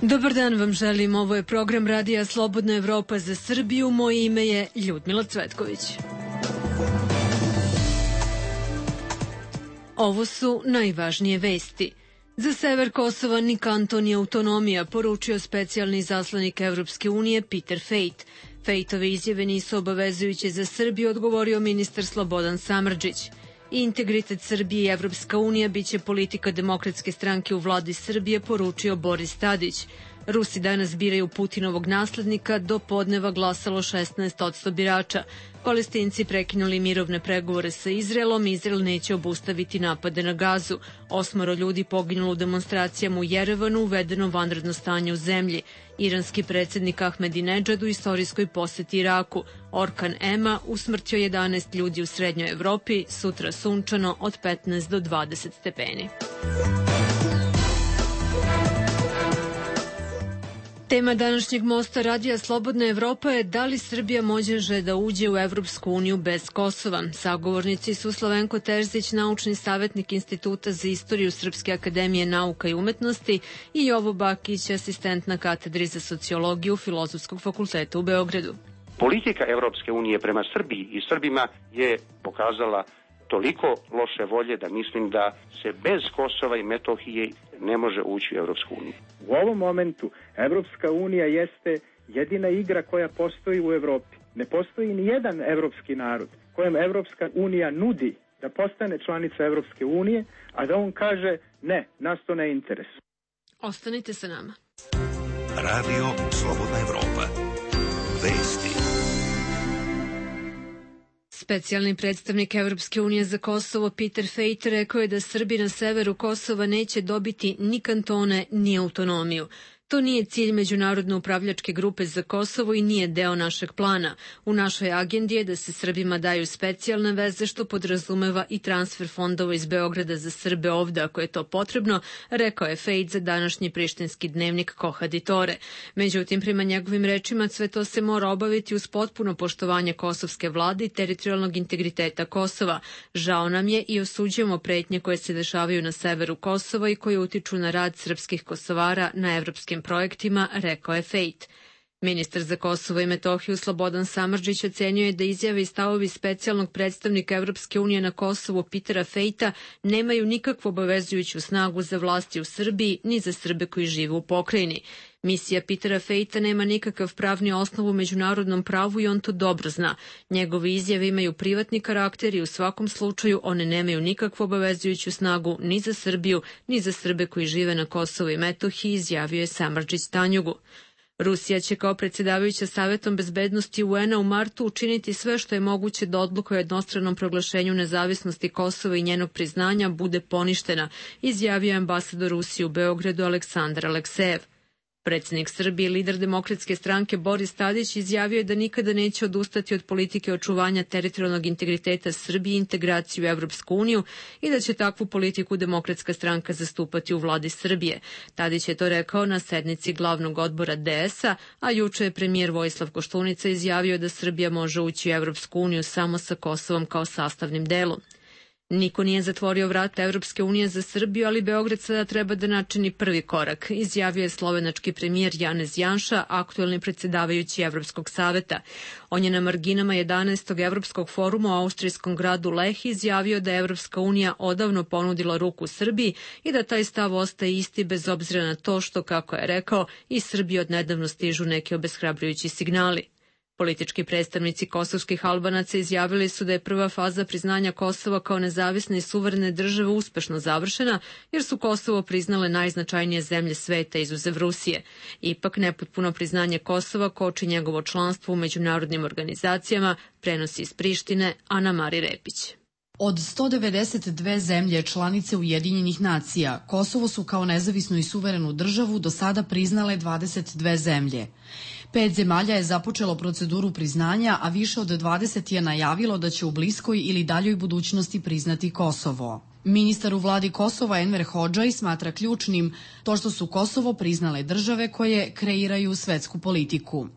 Dobar dan vam želim, ovo je program Radija Slobodna Evropa za Srbiju, moje ime je Ljudmila Cvetković. Ovo su najvažnije vesti. Za sever Kosova ni kanton ni autonomija, poručio specijalni zaslanik Evropske unije Peter Fejt. Fejtove izjave nisu obavezujuće za Srbiju, odgovorio ministar Slobodan Samardžić. Integritet Srbije i Evropska unija biće politika Demokratske stranke u vladi Srbije, poručio Boris Tadić. Rusi danas biraju Putinovog naslednika, do podneva glasalo 16% birača. Palestinci prekinuli mirovne pregovore sa Izraelom, Izrael neće obustaviti napade na Gazu. 8 ljudi poginulo u demonstracijama u Jerevanu, uvedeno vanredno stanje u zemlji. Iranski predsjednik Ahmedinedžad u istorijskoj poseti Iraku. Orkan Ema usmrtio 11 ljudi u Srednjoj Evropi, sutra sunčano od 15 do 20 stepeni. Tema današnjeg mosta Radija Slobodna Evropa je da li Srbija može da uđe u Evropsku uniju bez Kosova. Sagovornici su Slavenko Terzić, naučni savjetnik Instituta za istoriju Srpske akademije nauka i umetnosti, i Jovo Bakić, asistent na katedri za sociologiju Filozofskog fakulteta u Beogradu. Politika Evropske unije prema Srbiji i Srbima je pokazala toliko loše volje da mislim da se bez Kosova i Metohije ne može ući u Evropsku uniju. U ovom momentu Evropska unija jeste jedina igra koja postoji u Evropi. Ne postoji ni jedan evropski narod kojem Evropska unija nudi da postane članica Evropske unije, a da on kaže ne, nas to ne interesuje. Ostanite sa nama. Radio Slobodna Evropa. Vesti. Specijalni predstavnik Evropske unije za Kosovo Peter Fejt rekao je da Srbi na severu Kosova neće dobiti ni kantone ni autonomiju. To nije cilj Međunarodne upravljačke grupe za Kosovo i nije deo našeg plana. U našoj agendi je da se Srbima daju specijalne veze, što podrazumeva i transfer fondova iz Beograda za Srbe ovde ako je to potrebno, rekao je Fejt za današnji prištinski dnevnik Kohaditore. Međutim, prema njegovim rečima, sve to se mora obaviti uz potpuno poštovanje kosovske vlade i teritorijalnog integriteta Kosova. Žao nam je i osuđujemo pretnje koje se dešavaju na severu Kosova i koje utiču na rad srpskih Kosovara na evropskim projektima, rekao je Fejt. Ministar za Kosovo i Metohiju Slobodan Samardžić ocenjuje da izjave i stavovi specijalnog predstavnika Evropske unije na Kosovu Petera Fejta nemaju nikakvu obavezujuću snagu za vlasti u Srbiji ni za Srbe koji žive u pokrajini. Misija Petera Fejta nema nikakav pravni osnov u međunarodnom pravu i on to dobro zna. Njegove izjave imaju privatni karakter i u svakom slučaju one nemaju nikakvu obavezujuću snagu ni za Srbiju, ni za Srbe koji žive na Kosovu i Metohiji, izjavio je Samardžić Tanjugu. Rusija će kao predsjedavajuća Savetom bezbednosti UN-a u martu učiniti sve što je moguće da odluka o jednostranom proglašenju nezavisnosti Kosova i njenog priznanja bude poništena, izjavio je ambasador Rusije u Beogradu Aleksandar Aleksejev. Predsjednik Srbije i lider Demokratske stranke Boris Tadić izjavio je da nikada neće odustati od politike očuvanja teritorijalnog integriteta Srbije i integraciju u Evropsku uniju i da će takvu politiku Demokratska stranka zastupati u vladi Srbije. Tadić je to rekao na sednici glavnog odbora DS-a, a juče je premijer Vojislav Koštunica izjavio da Srbija može ući u Evropsku uniju samo sa Kosovom kao sastavnim delom. Niko nije zatvorio vrata Evropske unije za Srbiju, ali Beograd sada treba da načini prvi korak, izjavio je slovenački premijer Janez Janša, aktuelni predsjedavajući Evropskog saveta. On je na marginama 11. Evropskog foruma u austrijskom gradu Leh izjavio da je Evropska unija odavno ponudila ruku Srbiji i da taj stav ostaje isti bez obzira na to što, kako je rekao, iz Srbije odnedavno stižu neki obeshrabrujući signali. Politički predstavnici kosovskih Albanaca izjavili su da je prva faza priznanja Kosova kao nezavisne i suverene države uspešno završena, jer su Kosovo priznale najznačajnije zemlje sveta izuzev Rusije. Ipak nepotpuno priznanje Kosova koči njegovo članstvo u međunarodnim organizacijama, prenosi iz Prištine Ana Mari Repić. Od 192 zemlje članice Ujedinjenih nacija, Kosovo su kao nezavisnu i suverenu državu do sada priznale 22 zemlje. 5 zemalja je započelo proceduru priznanja, a više od 20 je najavilo da će u bliskoj ili daljoj budućnosti priznati Kosovo. Ministar u vladi Kosova Enver Hodžaj smatra ključnim to što su Kosovo priznale države koje kreiraju svetsku politiku.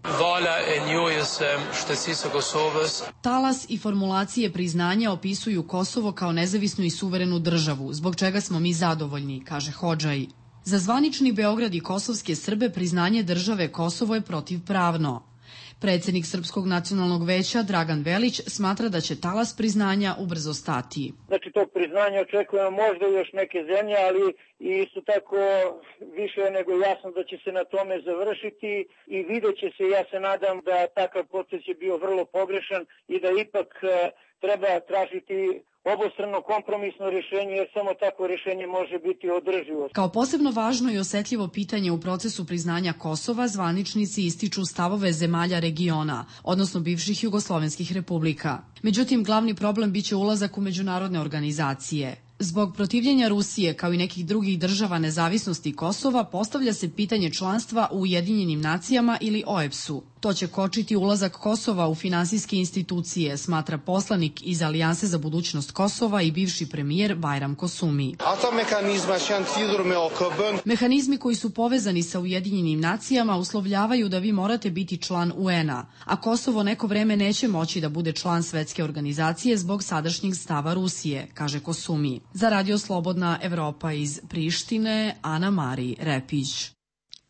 Talas i formulacije priznanja opisuju Kosovo kao nezavisnu i suverenu državu, zbog čega smo mi zadovoljni, kaže Hodžaj. Za zvanični Beograd i kosovske Srbe priznanje države Kosovo je protivpravno. Predsednik Srpskog nacionalnog veća Dragan Velić smatra da će talas priznanja ubrzo stati. Znači tog priznanja očekujemo možda još neke zemlje, ali isto tako više je nego jasno da će se na tome završiti i vidjet će se, ja se nadam da takav proces je bio vrlo pogrešan i da ipak treba tražiti obostrano kompromisno rješenje, jer samo takvo rješenje može biti održivo. Kao posebno važno i osetljivo pitanje u procesu priznanja Kosova, zvaničnici ističu stavove zemalja regiona, odnosno bivših jugoslovenskih republika. Međutim, glavni problem biće ulazak u međunarodne organizacije. Zbog protivljenja Rusije, kao i nekih drugih država nezavisnosti Kosova, postavlja se pitanje članstva u Ujedinjenim nacijama ili OEBS-u. To će kočiti ulazak Kosova u finansijske institucije, smatra poslanik iz Alijanse za budućnost Kosova i bivši premijer Bajram Kosumi. Mehanizmi koji su povezani sa Ujedinjenim nacijama uslovljavaju da vi morate biti član UN-a, a Kosovo neko vreme neće moći da bude član svetske organizacije zbog sadašnjeg stava Rusije, kaže Kosumi. Za Radio Slobodna Evropa iz Prištine, Ana Mari Repić.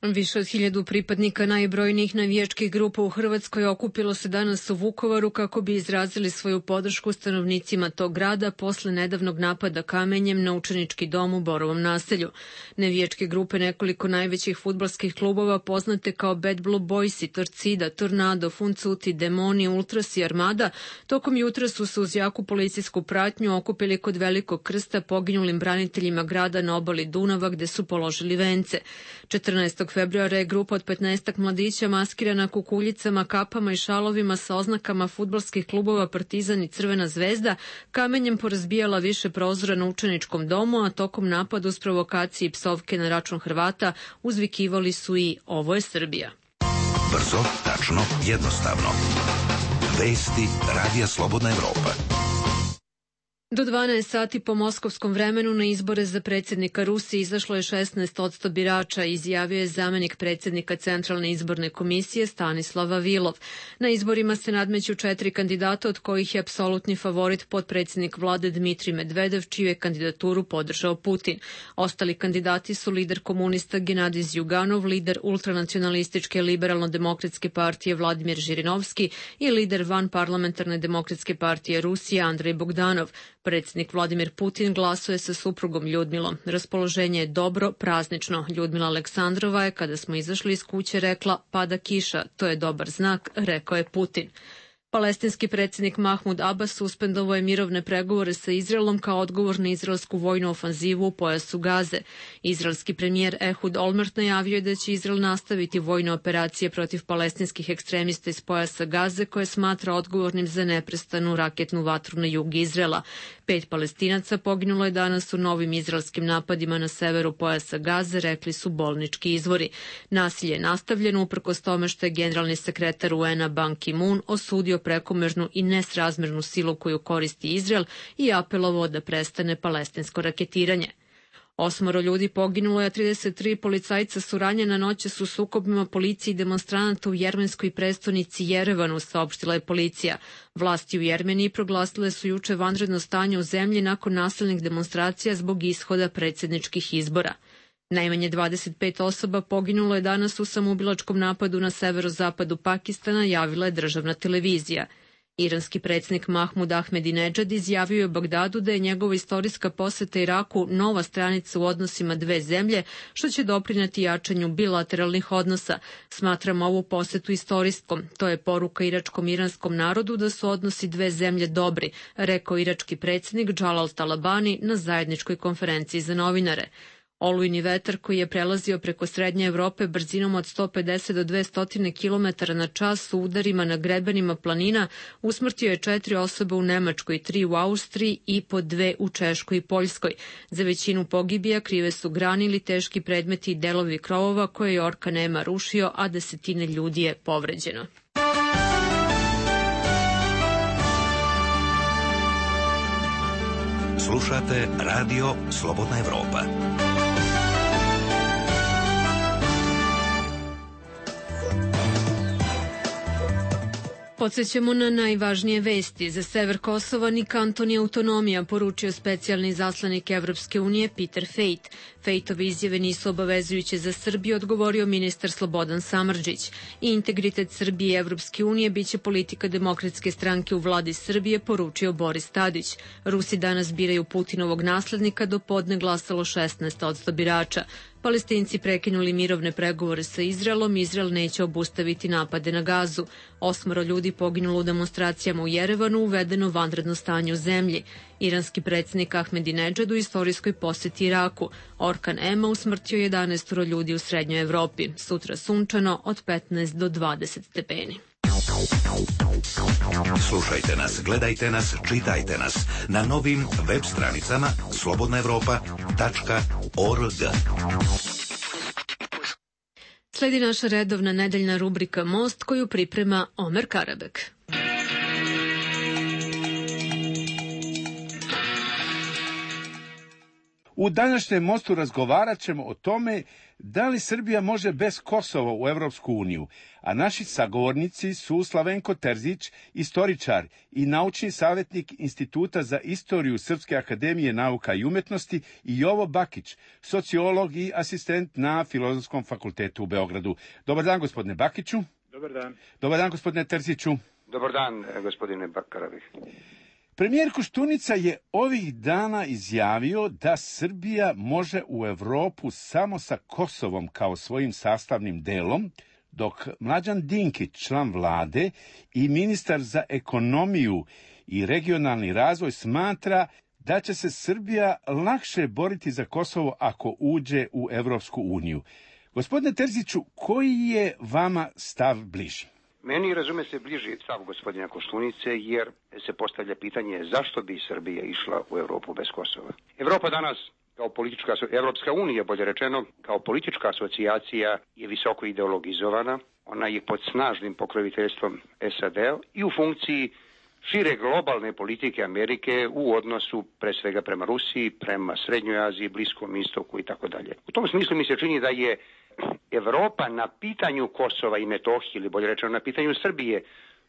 Više od 1000 pripadnika najbrojnijih navijačkih grupa u Hrvatskoj okupilo se danas u Vukovaru kako bi izrazili svoju podršku stanovnicima tog grada posle nedavnog napada kamenjem na učenički dom u Borovom naselju. Navijačke grupe nekoliko najvećih fudbalskih klubova poznate kao Bad Blue Boysi, Torcida, Tornado, Funcuti, Demoni, Ultras i Armada tokom jutra su se uz jaku policijsku pratnju okupili kod Velikog krsta poginulim braniteljima grada na obali Dunava gde su položili vence. 14. februara je grupa od 15 mladića maskirana kukuljicama, kapama i šalovima sa oznakama fudbalskih klubova Partizan i Crvena zvezda kamenjem porazbijala više prozora na učeničkom domu, a tokom napada uz provokacije i psovke na račun Hrvata uzvikivali su i "Ovo je Srbija". Brzo, tačno, jednostavno. Vesti Radija Slobodna Evropa. Do 12 sati po moskovskom vremenu na izbore za predsjednika Rusije izašlo je 16% birača, izjavio je zamenik predsjednika Centralne izborne komisije Stanislav Vavilov. Na izborima se nadmeću 4 kandidata, od kojih je apsolutni favorit potpredsjednik vlade Dmitrij Medvedev, čiju je kandidaturu podržao Putin. Ostali kandidati su lider komunista Genadij Zjuganov, lider ultranacionalističke liberalno-demokratske partije Vladimir Žirinovski i lider vanparlamentarne demokratske partije Rusije Andrej Bogdanov. Predsjednik Vladimir Putin glasuje sa suprugom Ljudmilom. Raspoloženje je dobro, praznično. Ljudmila Aleksandrova je, kada smo izašli iz kuće, rekla "pada kiša, to je dobar znak", rekao je Putin. Palestinski predsjednik Mahmud Abbas suspendovao je mirovne pregovore sa Izraelom kao odgovor na izraelsku vojnu ofanzivu u pojasu Gaze. Izraelski premijer Ehud Olmert najavio je da će Izrael nastaviti vojne operacije protiv palestinskih ekstremista iz pojasa Gaze, koje smatra odgovornim za neprestanu raketnu vatru na jug Izraela. 5 Palestinaca poginulo je danas u novim izraelskim napadima na severu pojasa Gaze, rekli su bolnički izvori. Nasilje je nastavljeno uprkos tome što je generalni sekretar UN-a Ban Ki-moon osudio prekomernu i nesrazmernu silu koju koristi Izrael i apelovao da prestane palestinsko raketiranje. 8 ljudi poginulo je, a 33 policajca su ranjena noćas u sukobima policije i demonstranata u jermenskoj prestonici Jerevanu, saopštila je policija. Vlasti u Jermeniji proglasile su juče vanredno stanje u zemlji nakon nasilnih demonstracija zbog ishoda predsjedničkih izbora. Najmanje 25 osoba poginulo je danas u samoubilačkom napadu na severozapadu Pakistana, javila je državna televizija. Iranski predsjednik Mahmud Ahmedinedžad izjavio je u Bagdadu da je njegova istorijska poseta Iraku nova stranica u odnosima dve zemlje, što će doprineti jačanju bilateralnih odnosa. Smatram ovu posetu istorijskom. To je poruka iračkom iranskom narodu da su odnosi dve zemlje dobri, rekao irački predsjednik Džalal Talabani na zajedničkoj konferenciji za novinare. Olujni vetar koji je prelazio preko Srednje Evrope brzinom od 150 do 200 km na čas u udarima na grebenima planina usmrtio je 4 osobe u Nemačkoj, 3 u Austriji i po 2 u Češkoj i Poljskoj. Za većinu pogibija krive su grani ili teški predmeti i delovi krovova koje je orkan rušio, a desetine ljudi je povređeno. Slušate Radio Slobodna Evropa. Podsećamo na najvažnije vesti. Za sever Kosova ni kanton ni autonomija, poručio specijalni zaslanik Evropske unije Peter Fejt. Fejtove izjave nisu obavezujuće za Srbiju, odgovorio ministar Slobodan Samardžić. I integritet Srbije i Evropske unije biće politika Demokratske stranke u vladi Srbije, poručio Boris Tadić. Rusi danas biraju Putinovog naslednika, do podne glasalo 16% birača. Palestinci prekinuli mirovne pregovore sa Izraelom, Izrael neće obustaviti napade na Gazu. 8 ljudi poginulo u demonstracijama u Jerevanu, uvedeno vanredno stanje u zemlji. Iranski predsjednik Ahmedinedžad u istorijskoj poseti Iraku. Orkan Ema usmrtio 11 ljudi u Srednjoj Evropi. Sutra sunčano od 15 do 20 stepeni. Slušajte nas, gledajte nas, čitajte nas na novim web stranicama slobodnaevropa.org. Sledi naša redovna nedeljna rubrika Most, koju priprema Omer Karabek. U današnjem Mostu razgovarat ćemo o tome da li Srbija može bez Kosova u Evropsku uniju, a naši sagovornici su Slavenko Terzić, istoričar i naučni savjetnik Instituta za istoriju Srpske akademije nauka i umetnosti, i Jovo Bakić, sociolog i asistent na Filozofskom fakultetu u Beogradu. Dobar dan, gospodine Bakiću. Dobar dan. Dobar dan, gospodine Terziću. Dobar dan, gospodine Bakarabih. Premijer Koštunica je ovih dana izjavio da Srbija može u Evropu samo sa Kosovom kao svojim sastavnim delom, dok Mlađan Dinkić, član vlade i ministar za ekonomiju i regionalni razvoj, smatra da će se Srbija lakše boriti za Kosovo ako uđe u Evropsku uniju. Gospodine Terziću, koji je vama stav bliži? Meni, razume se, bliži stav gospodina Koštunice, jer se postavlja pitanje zašto bi Srbija išla u Evropu bez Kosova. Evropa danas, kao politička, Evropska unija, bolje rečeno, kao politička asocijacija je visoko ideologizovana. Ona je pod snažnim pokroviteljstvom SAD-a i u funkciji šire globalne politike Amerike u odnosu pre svega prema Rusiji, prema Srednjoj Aziji, Bliskom istoku i tako dalje. U tom smislu mi se čini da je Evropa na pitanju Kosova i Metohije, ili bolje rečeno na pitanju Srbije,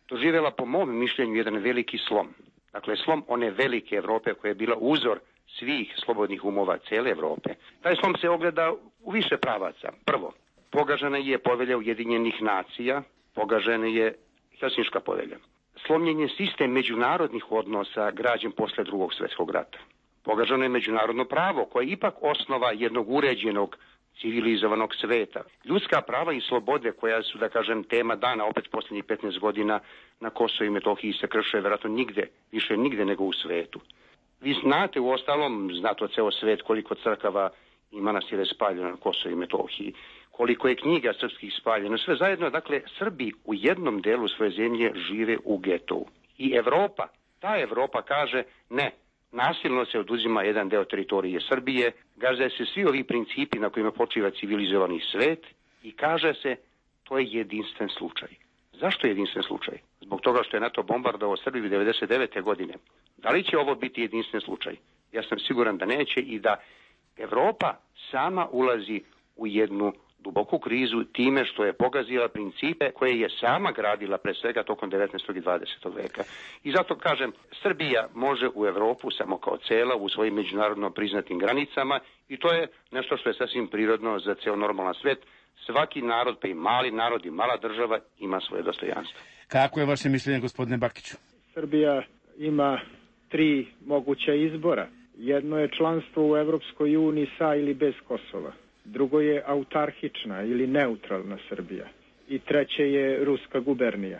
doživjela po mom mišljenju jedan veliki slom. Dakle, slom one velike Evrope koja je bila uzor svih slobodnih umova cele Evrope. Taj slom se ogleda u više pravaca. Prvo, pogažena je povelja Ujedinjenih nacija, pogažena je Helsinška povelja. Slomljen je sistem međunarodnih odnosa građen posle Drugog svjetskog rata. Pogaženo je međunarodno pravo koje je ipak osnova jednog uređenog civilizovanog sveta. Ljudska prava i slobode koja su, da kažem, tema dana opet posljednjih 15 godina na Kosovu i Metohiji se krše vjerojatno više nigde nego u svetu. Vi znate, u ostalom, znate od ceo svet koliko crkava i manastira je spaljeno na Kosovu i Metohiji, koliko je knjiga srpskih spaljeno, sve zajedno. Dakle, Srbi u jednom delu svoje zemlje žive u getovu. I Evropa, ta Evropa kaže ne, nasilno se oduzima jedan deo teritorije Srbije, gaze se svi ovi principi na kojima počiva civilizovani svet i kaže se to je jedinstven slučaj. Zašto je jedinstven slučaj? Zbog toga što je NATO bombardovao Srbiju 1999. godine. Da li će ovo biti jedinstven slučaj? Ja sam siguran da neće i da Evropa sama ulazi u jednu duboku krizu time što je pogazila principe koje je sama gradila pre svega tokom 19. i 20. veka. I zato kažem, Srbija može u Evropu samo kao cela u svojim međunarodno priznatim granicama i to je nešto što je sasvim prirodno za ceo normalan svet. Svaki narod, pa i mali narod i mala država ima svoje dostojanstvo. Kako je vaše mišljenje, gospodine Bakiću? Srbija ima 3 moguća izbora. Jedno je članstvo u Evropskoj uniji sa ili bez Kosova. Drugo je autarhična ili neutralna Srbija. I treće je ruska gubernija.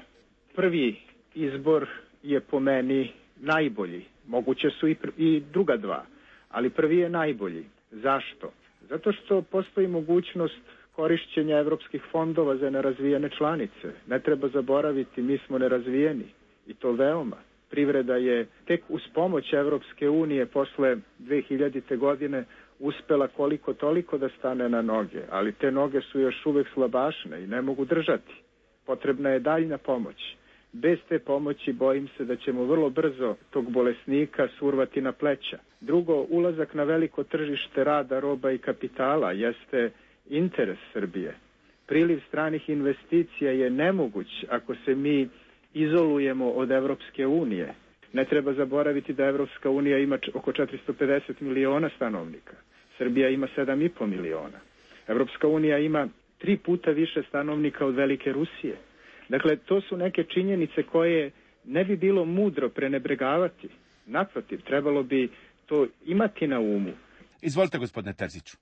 Prvi izbor je po meni najbolji. Moguće su i druga dva, ali prvi je najbolji. Zašto? Zato što postoji mogućnost korišćenja evropskih fondova za nerazvijene članice. Ne treba zaboraviti, mi smo nerazvijeni i to veoma. Privreda je tek uz pomoć Evropske unije posle 2000. godine uspela koliko toliko da stane na noge, ali te noge su još uvek slabašne i ne mogu držati. Potrebna je daljna pomoć. Bez te pomoći bojim se da ćemo vrlo brzo tog bolesnika survati na pleća. Drugo, ulazak na veliko tržište rada, roba i kapitala jeste interes Srbije. Priliv stranih investicija je nemoguć ako se mi izolujemo od Evropske unije. Ne treba zaboraviti da Evropska unija ima oko 450 miliona stanovnika. Srbija ima 7,5 miliona. Evropska unija ima 3 puta više stanovnika od Velike Rusije. Dakle, to su neke činjenice koje ne bi bilo mudro prenebregavati. Naprotiv, trebalo bi to imati na umu. Izvolite, gospodine Terziću.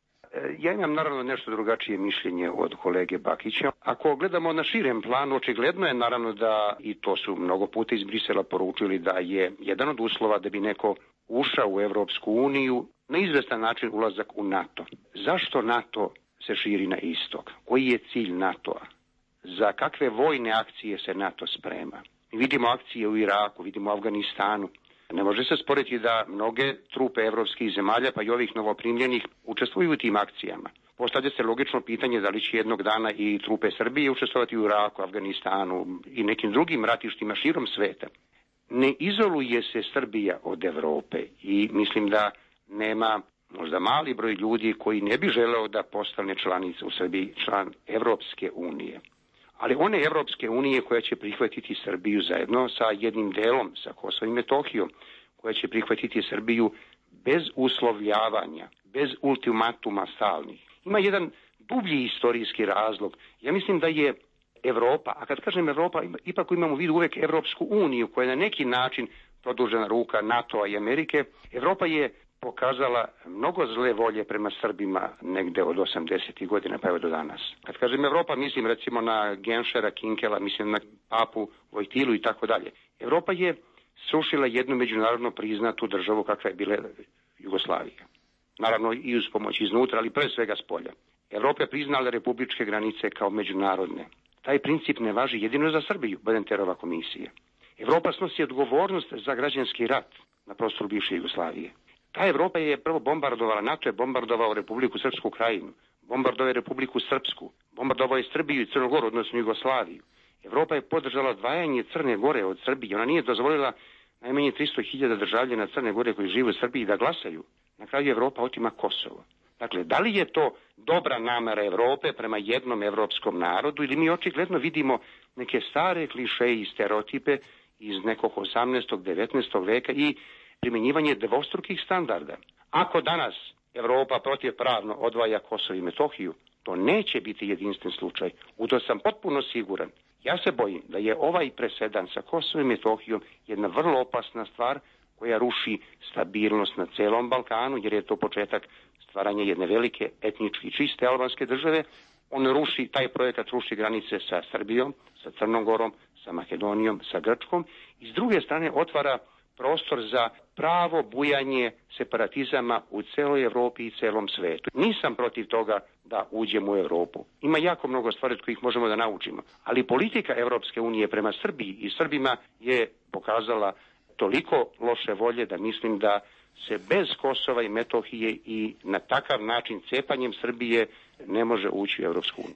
Ja imam naravno nešto drugačije mišljenje od kolege Bakića. Ako gledamo na širem planu, očigledno je naravno da, i to su mnogo puta iz Brisela poručili, da je jedan od uslova da bi neko ušao u Evropsku uniju na izvestan način ulazak u NATO. Zašto NATO se širi na istok? Koji je cilj NATO-a? Za kakve vojne akcije se NATO sprema? Mi vidimo akcije u Iraku, vidimo u Afganistanu. Ne može se sporiti da mnoge trupe evropskih zemalja, pa i ovih novoprimljenih, učestvuju u tim akcijama. Postavlja se logično pitanje da li će jednog dana i trupe Srbije učestvovati u Iraku, Afganistanu i nekim drugim ratištima širom sveta. Ne izoluje se Srbija od Evrope i mislim da nema možda mali broj ljudi koji ne bi želeo da postane članica u Srbiji, član Evropske unije. Ali one Evropske unije koja će prihvatiti Srbiju zajedno sa jednim delom, sa Kosovom i Metohijom, koja će prihvatiti Srbiju bez uslovljavanja, bez ultimatuma stalnih. Ima jedan dublji istorijski razlog. Ja mislim da je Evropa, a kad kažem Evropa, ipak imamo u vidu uvek Evropsku uniju, koja je na neki način produžena ruka NATO-a i Amerike. Evropa je pokazala mnogo zle volje prema Srbima negde od 80. godina pa evo do danas. Kad kažem Evropa, mislim recimo na Genšera, Kinkela, mislim na Papu, Vojtilu i tako dalje. Evropa je srušila jednu međunarodno priznatu državu kakva je bila Jugoslavija. Naravno i uz pomoć iznutra, ali pre svega s polja. Evropa je priznala republičke granice kao međunarodne. Taj princip ne važi jedino za Srbiju, Badenterova komisija. Evropa snosi odgovornost za građanski rat na prostoru bivše Jugoslavije. Ta Evropa je prvo bombardovala, NATO je bombardovao Republiku Srpsku Krajinu, bombardovao je Republiku Srpsku, bombardovao je Srbiju i Crnogoru, odnosno Jugoslaviju. Evropa je podržala odvajanje Crne Gore od Srbije. Ona nije dozvolila najmanje 300.000 državljana Crne Gore koji žive u Srbiji da glasaju. Na kraju Evropa otima Kosovo. Dakle, da li je to dobra namera Evrope prema jednom evropskom narodu ili mi očigledno vidimo neke stare klišeje i stereotipe iz nekog 18. 19. veka i primjenjivanje dvostrukih standarda. Ako danas Evropa protivpravno odvaja Kosovo i Metohiju, to neće biti jedinstven slučaj. U to sam potpuno siguran. Ja se bojim da je ovaj presedan sa Kosovom i Metohijom jedna vrlo opasna stvar koja ruši stabilnost na celom Balkanu, jer je to početak stvaranja jedne velike etnički čiste albanske države. On ruši, taj projekat ruši granice sa Srbijom, sa Crnom Gorom, sa Makedonijom, sa Grčkom i s druge strane otvara prostor za pravo bujanje separatizama u celoj Evropi i celom svetu. Nisam protiv toga da uđemo u Evropu. Ima jako mnogo stvari od kojih možemo da naučimo. Ali politika Evropske unije prema Srbiji i Srbima je pokazala toliko loše volje da mislim da se bez Kosova i Metohije i na takav način cepanjem Srbije ne može ući u Evropsku uniju.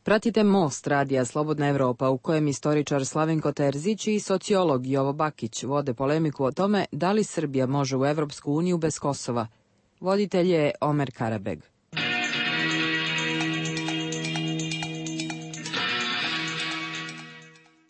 Pratite Most radija Slobodna Evropa u kojem istoričar Slavenko Terzić i sociolog Jovo Bakić vode polemiku o tome da li Srbija može u Evropsku uniju bez Kosova. Voditelj je Omer Karabeg.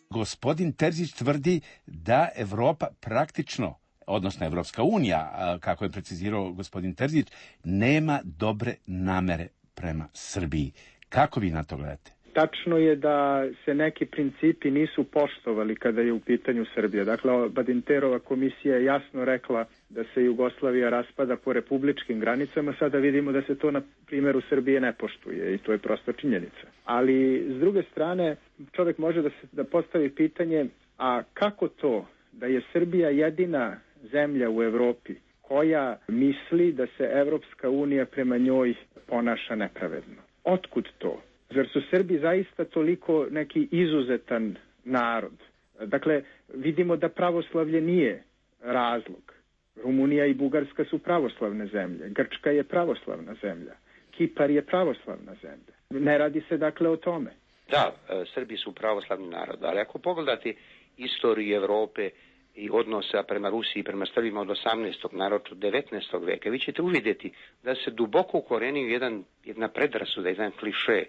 Gospodin Terzić tvrdi da Evropa praktično, odnosno Evropska unija, kako je precizirao gospodin Terzić, nema dobre namere prema Srbiji. Kako vi na to gledate? Tačno je da se neki principi nisu poštovali kada je u pitanju Srbija. Dakle, Badinterova komisija je jasno rekla da se Jugoslavija raspada po republičkim granicama. Sada vidimo da se to na primjeru Srbije ne poštuje i to je prosta činjenica. Ali, s druge strane, čovjek može da postavi pitanje, a kako to da je Srbija jedina zemlja u Evropi koja misli da se Evropska unija prema njoj ponaša nepravedno? Otkud to? Zar su Srbi zaista toliko neki izuzetan narod? Dakle, vidimo da pravoslavlje nije razlog. Rumunija i Bugarska su pravoslavne zemlje. Grčka je pravoslavna zemlja. Kipar je pravoslavna zemlja. Ne radi se dakle o tome. Da, Srbi su pravoslavni narod, ali ako pogledate istoriju Evrope i odnosa prema Rusiji i prema Srbima od 18. naročito 19. veka, vi ćete uvidjeti da se duboko ukorenio jedna predrasuda, jedan kliše,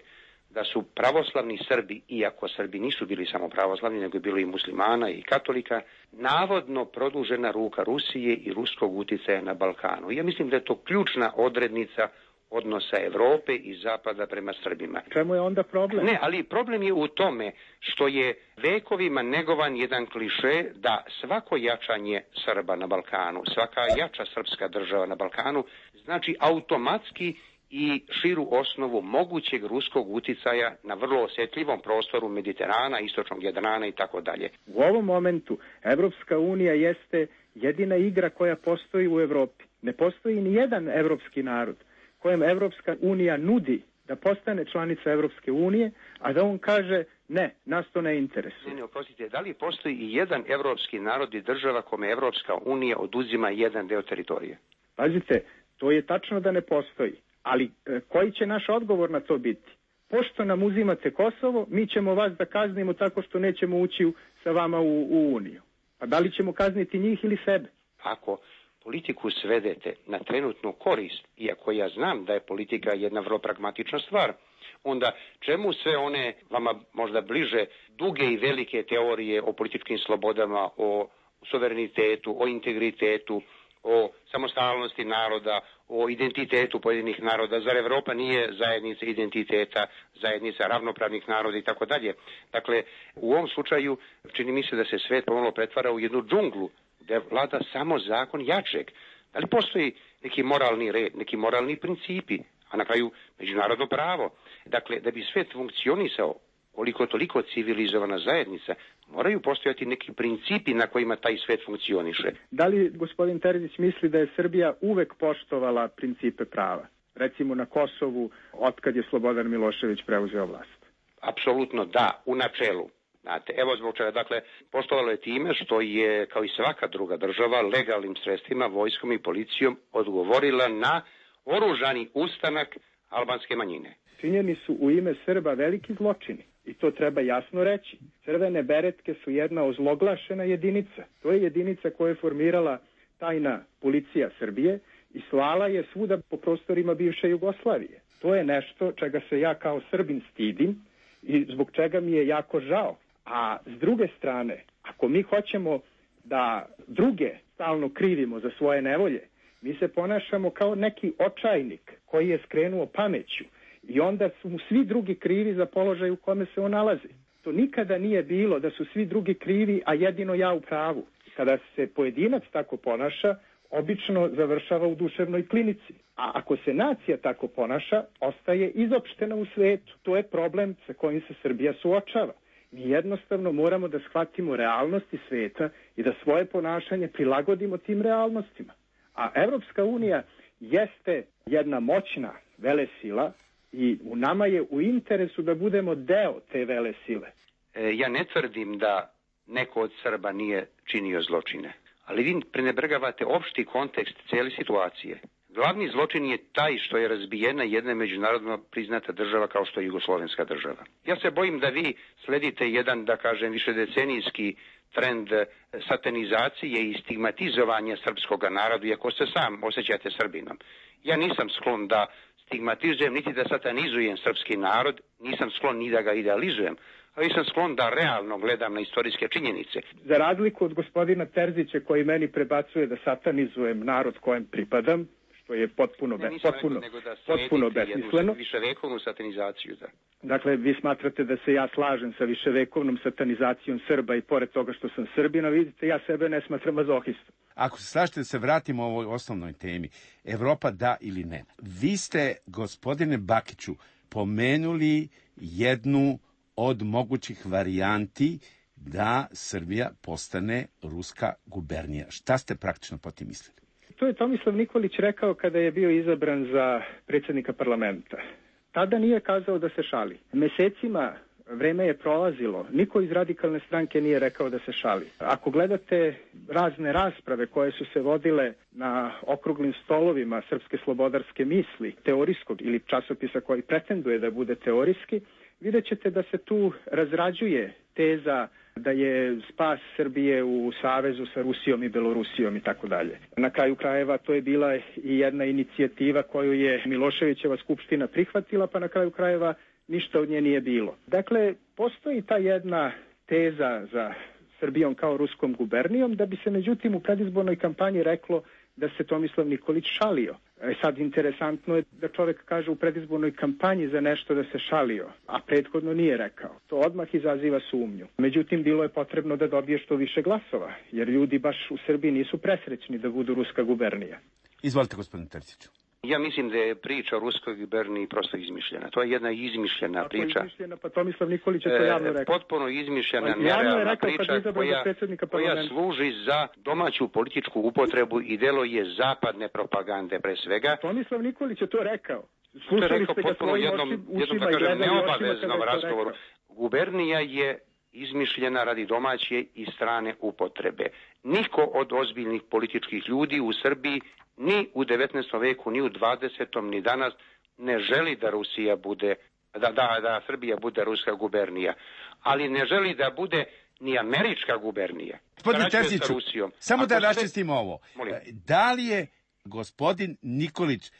da su pravoslavni Srbi, iako Srbi nisu bili samo pravoslavni, nego je bilo i muslimana i katolika, navodno produžena ruka Rusije i ruskog uticaja na Balkanu. Ja mislim da je to ključna odrednica odnosa Evrope i Zapada prema Srbima. Čemu je onda problem? Ne, ali problem je u tome što je vekovima negovan jedan kliše da svako jačanje Srba na Balkanu, svaka jača srpska država na Balkanu, znači automatski i širu osnovu mogućeg ruskog uticaja na vrlo osjetljivom prostoru Mediterana, istočnog Jadrana i tako dalje. U ovom momentu Evropska unija jeste jedina igra koja postoji u Evropi. Ne postoji ni jedan evropski narod kojem Evropska unija nudi da postane članica Evropske unije, a da on kaže ne, nas to ne interesuje. Ne, oprostite, da li postoji i jedan evropski narod i država kome Evropska unija oduzima jedan deo teritorije? Pazite, to je tačno da ne postoji, ali koji će naš odgovor na to biti? Pošto nam uzimate Kosovo, mi ćemo vas da kaznimo tako što nećemo ući sa vama u Uniju. A da li ćemo kazniti njih ili sebe? Ako politiku svedete na trenutnu korist, iako ja znam da je politika jedna vrlo pragmatična stvar, onda čemu sve one vama možda bliže duge i velike teorije o političkim slobodama, o suverenitetu, o integritetu, o samostalnosti naroda, o identitetu pojedinih naroda. Zar Evropa nije zajednica identiteta, zajednica ravnopravnih naroda i tako dalje? Dakle, u ovom slučaju čini mi se da se svet pomalo pretvara u jednu džunglu gdje vlada samo zakon jačeg. Da li postoji neki moralni red, neki moralni principi, a na kraju međunarodno pravo? Dakle, da bi svet funkcionisao koliko toliko civilizovana zajednica, moraju postojati neki principi na kojima taj svet funkcioniše. Da li gospodin Terzić misli da je Srbija uvek poštovala principe prava? Recimo na Kosovu, otkad je Slobodan Milošević preuzeo vlast. Apsolutno da, u načelu. Znate, evo zbog čega, dakle, poštovalo je time što je, kao i svaka druga država, legalnim sredstvima, vojskom i policijom odgovorila na oružani ustanak albanske manjine. Činjeni su u ime Srba veliki zločini. I to treba jasno reći. Crvene beretke su jedna ozloglašena jedinica. To je jedinica koju je formirala tajna policija Srbije i slala je svuda po prostorima bivše Jugoslavije. To je nešto čega se ja kao Srbin stidim i zbog čega mi je jako žao. A s druge strane, ako mi hoćemo da druge stalno krivimo za svoje nevolje, mi se ponašamo kao neki očajnik koji je skrenuo pameću. I onda su mu svi drugi krivi za položaj u kome se on nalazi. To nikada nije bilo da su svi drugi krivi, a jedino ja u pravu. Kada se pojedinac tako ponaša, obično završava u duševnoj klinici. A ako se nacija tako ponaša, ostaje izopštena u svetu. To je problem sa kojim se Srbija suočava. Mi jednostavno moramo da shvatimo realnosti sveta i da svoje ponašanje prilagodimo tim realnostima. A Evropska unija jeste jedna moćna velesila, i u nama je u interesu da budemo deo te vele sile. Ja ne tvrdim da neko od Srba nije činio zločine, ali vi prenebregavate opšti kontekst cijele situacije. Glavni zločin je taj što je razbijena jedna međunarodno priznata država kao što je Jugoslovenska država. Ja se bojim da vi sledite jedan, da kažem, višedecenijski trend satanizacije i stigmatizovanja srpskog naroda, iako se sam osjećate Srbinom. Ja nisam sklon da stigmatizujem, niti da satanizujem srpski narod, nisam sklon ni da ga idealizujem, ali sam sklon da realno gledam na istorijske činjenice. Za razliku od gospodina Terzića koji meni prebacuje da satanizujem narod kojem pripadam, što je potpuno besmisleno. Viševekovnu satanizaciju, da. Dakle, vi smatrate da se ja slažem sa viševekovnom satanizacijom Srba i pored toga što sam Srbina, vidite, ja sebe ne smatram mazohistom. Ako se slažete da se vratimo ovoj osnovnoj temi, Evropa da ili ne. Vi ste, gospodine Bakiću, pomenuli jednu od mogućih varijanti da Srbija postane ruska gubernija. Šta ste praktično po tim mislili? To je Tomislav Nikolić rekao kada je bio izabran za predsjednika parlamenta. Tada nije kazao da se šali. Mesecima vreme je prolazilo. Niko iz radikalne stranke nije rekao da se šali. Ako gledate razne rasprave koje su se vodile na okruglim stolovima Srpske slobodarske misli, teorijskog ili časopisa koji pretenduje da bude teorijski, vidjet ćete da se tu razrađuje teza da je spas Srbije u savezu sa Rusijom i Belorusijom i tako dalje. Na kraju krajeva to je bila i jedna inicijativa koju je Miloševićeva skupština prihvatila, pa na kraju krajeva ništa od nje nije bilo. Dakle, postoji ta jedna teza za Srbijom kao ruskom gubernijom, da bi se međutim u predizbornoj kampanji reklo da se Tomislav Nikolić šalio. Sad interesantno je da čovjek kaže u predizbornoj kampanji za nešto da se šalio, a prethodno nije rekao. To odmah izaziva sumnju. Međutim, bilo je potrebno da dobije što više glasova, jer ljudi baš u Srbiji nisu presrećni da budu ruska gubernija. Izvolite, gospodin Terziću. Ja mislim da je priča o ruskoj guberniji prosto izmišljena. To je jedna izmišljena priča. Izmišljena, pa Tomislav Nikolić je to javno rekao. Potpuno izmišljena, nerealna priča koja služi za domaću političku upotrebu i delo je zapadne propagande pre svega. Tomislav Nikolić je to rekao. To je rekao potpuno jednom da kažem, neobaveznom razgovoru. Gubernija je izmišljena radi domaće i strane upotrebe. Niko od ozbiljnih političkih ljudi u Srbiji ni u 19. veku, ni u 20. ni danas ne želi da Rusija bude, da Srbija bude ruska gubernija. Ali ne želi da bude ni američka gubernija. Gospodine Terziću, samo da raščistimo ovo. Da li je gospodin Nikolić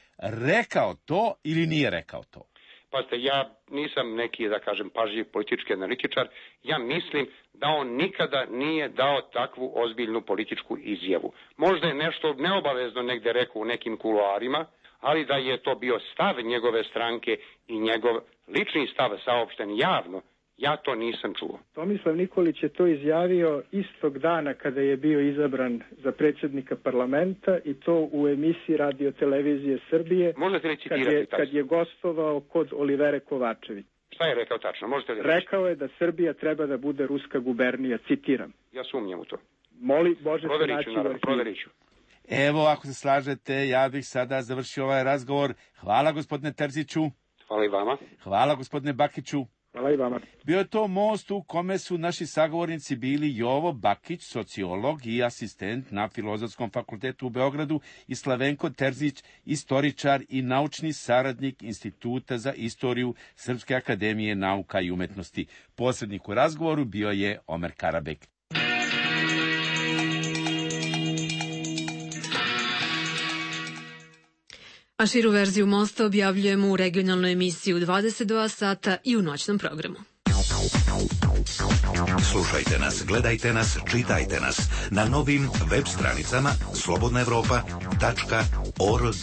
rekao to ili nije rekao to? Pazite, ja nisam neki, da kažem, pažljiv politički analitičar. Ja mislim da on nikada nije dao takvu ozbiljnu političku izjavu. Možda je nešto neobavezno negde rekao u nekim kuloarima, ali da je to bio stav njegove stranke i njegov lični stav saopšten javno, ja to nisam čuo. Tomislav Nikolić je to izjavio istog dana kada je bio izabran za predsjednika parlamenta i to u emisiji Radio Televizije Srbije. Možete li citirati kad je gostovao kod Olivere Kovačević. Šta je rekao tačno? Možete li rekao je da Srbija treba da bude ruska gubernija, citiram. Ja sumnjam u to. Moli Bože se naći u arhivu. Proveriću. Evo, ako se slažete, ja bih sada završio ovaj razgovor. Hvala, gospodine Terziću. Hvala i vama. Hvala, gospodine Bakiću. Hvala i vama. Bio je to most u kome su naši sagovornici bili Jovo Bakić, sociolog i asistent na Filozofskom fakultetu u Beogradu, i Slavenko Terzić, istoričar i naučni saradnik Instituta za istoriju Srpske akademije nauka i umetnosti. Posrednik u razgovoru bio je Omer Karabek. A širu verziju Mosta objavljujemo u regionalnoj emisiji u 22 sata i u noćnom programu. Slušajte nas, gledajte nas, čitajte nas na novim web stranicama slobodnaevropa.org.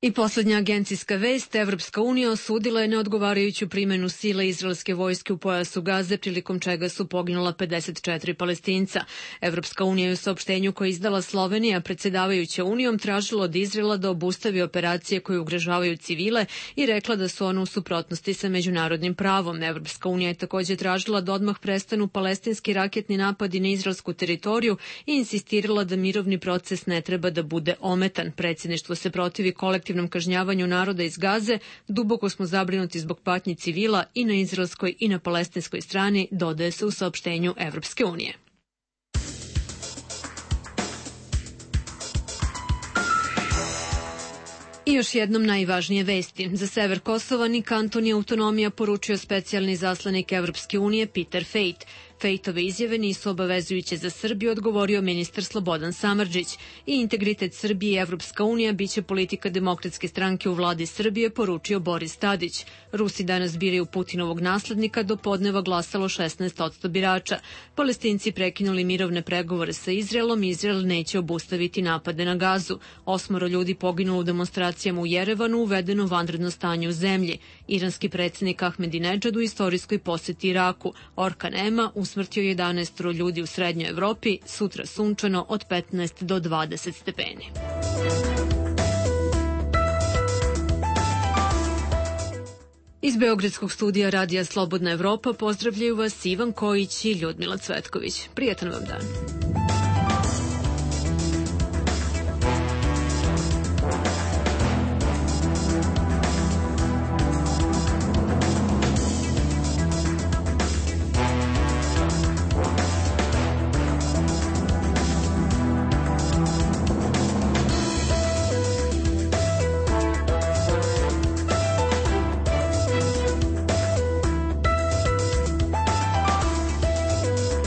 I posljednja agencijska vest, Evropska unija osudila je neodgovarajuću primjenu sile izraelske vojske u pojasu Gaze, prilikom čega su poginula 54 Palestinca. Evropska unija je u saopštenju koje izdala Slovenija, predsjedavajuća unijom, tražila od Izraela da obustavi operacije koje ugrožavaju civile i rekla da su one u suprotnosti sa međunarodnim pravom. Evropska unija je također tražila da odmah prestanu palestinski raketni napadi na izraelsku teritoriju i insistirala da mirovni proces ne treba da bude ometan. Predsjedništvo se protivi kolektivnom kažnjavanju naroda iz Gaze, duboko smo zabrinuti zbog patnji civila i na izraelskoj i na palestinskoj strani, dodaje se u saopštenju Evropske unije. I još jednom najvažnije vesti. Za sever Kosova ni kanton ni autonomija, poručio specijalni zaslanik Evropske unije Peter Fejt. Fejtove izjave nisu obavezujuće za Srbiju, odgovorio ministar Slobodan Samardžić. I integritet Srbije i Evropska unija biće politika Demokratske stranke u vladi Srbije, poručio Boris Tadić. Rusi danas biraju Putinovog naslednika, do podneva glasalo 16% birača. Palestinci prekinuli mirovne pregovore sa Izraelom, Izrael neće obustaviti napade na Gazu. 8 ljudi poginulo u demonstracijama u Jerevanu, uvedeno vanredno stanje u zemlji. Iranski predsjednik Ahmedinedžad u istorijskoj posjeti Iraku. Orkan Ema usmrtio 11 ljudi u Srednjoj Evropi, sutra sunčano od 15 do 20 stepeni. Iz Beogradskog studija Radija Slobodna Evropa pozdravljaju vas Ivan Kojić i Ljudmila Cvetković. Prijetan vam dan.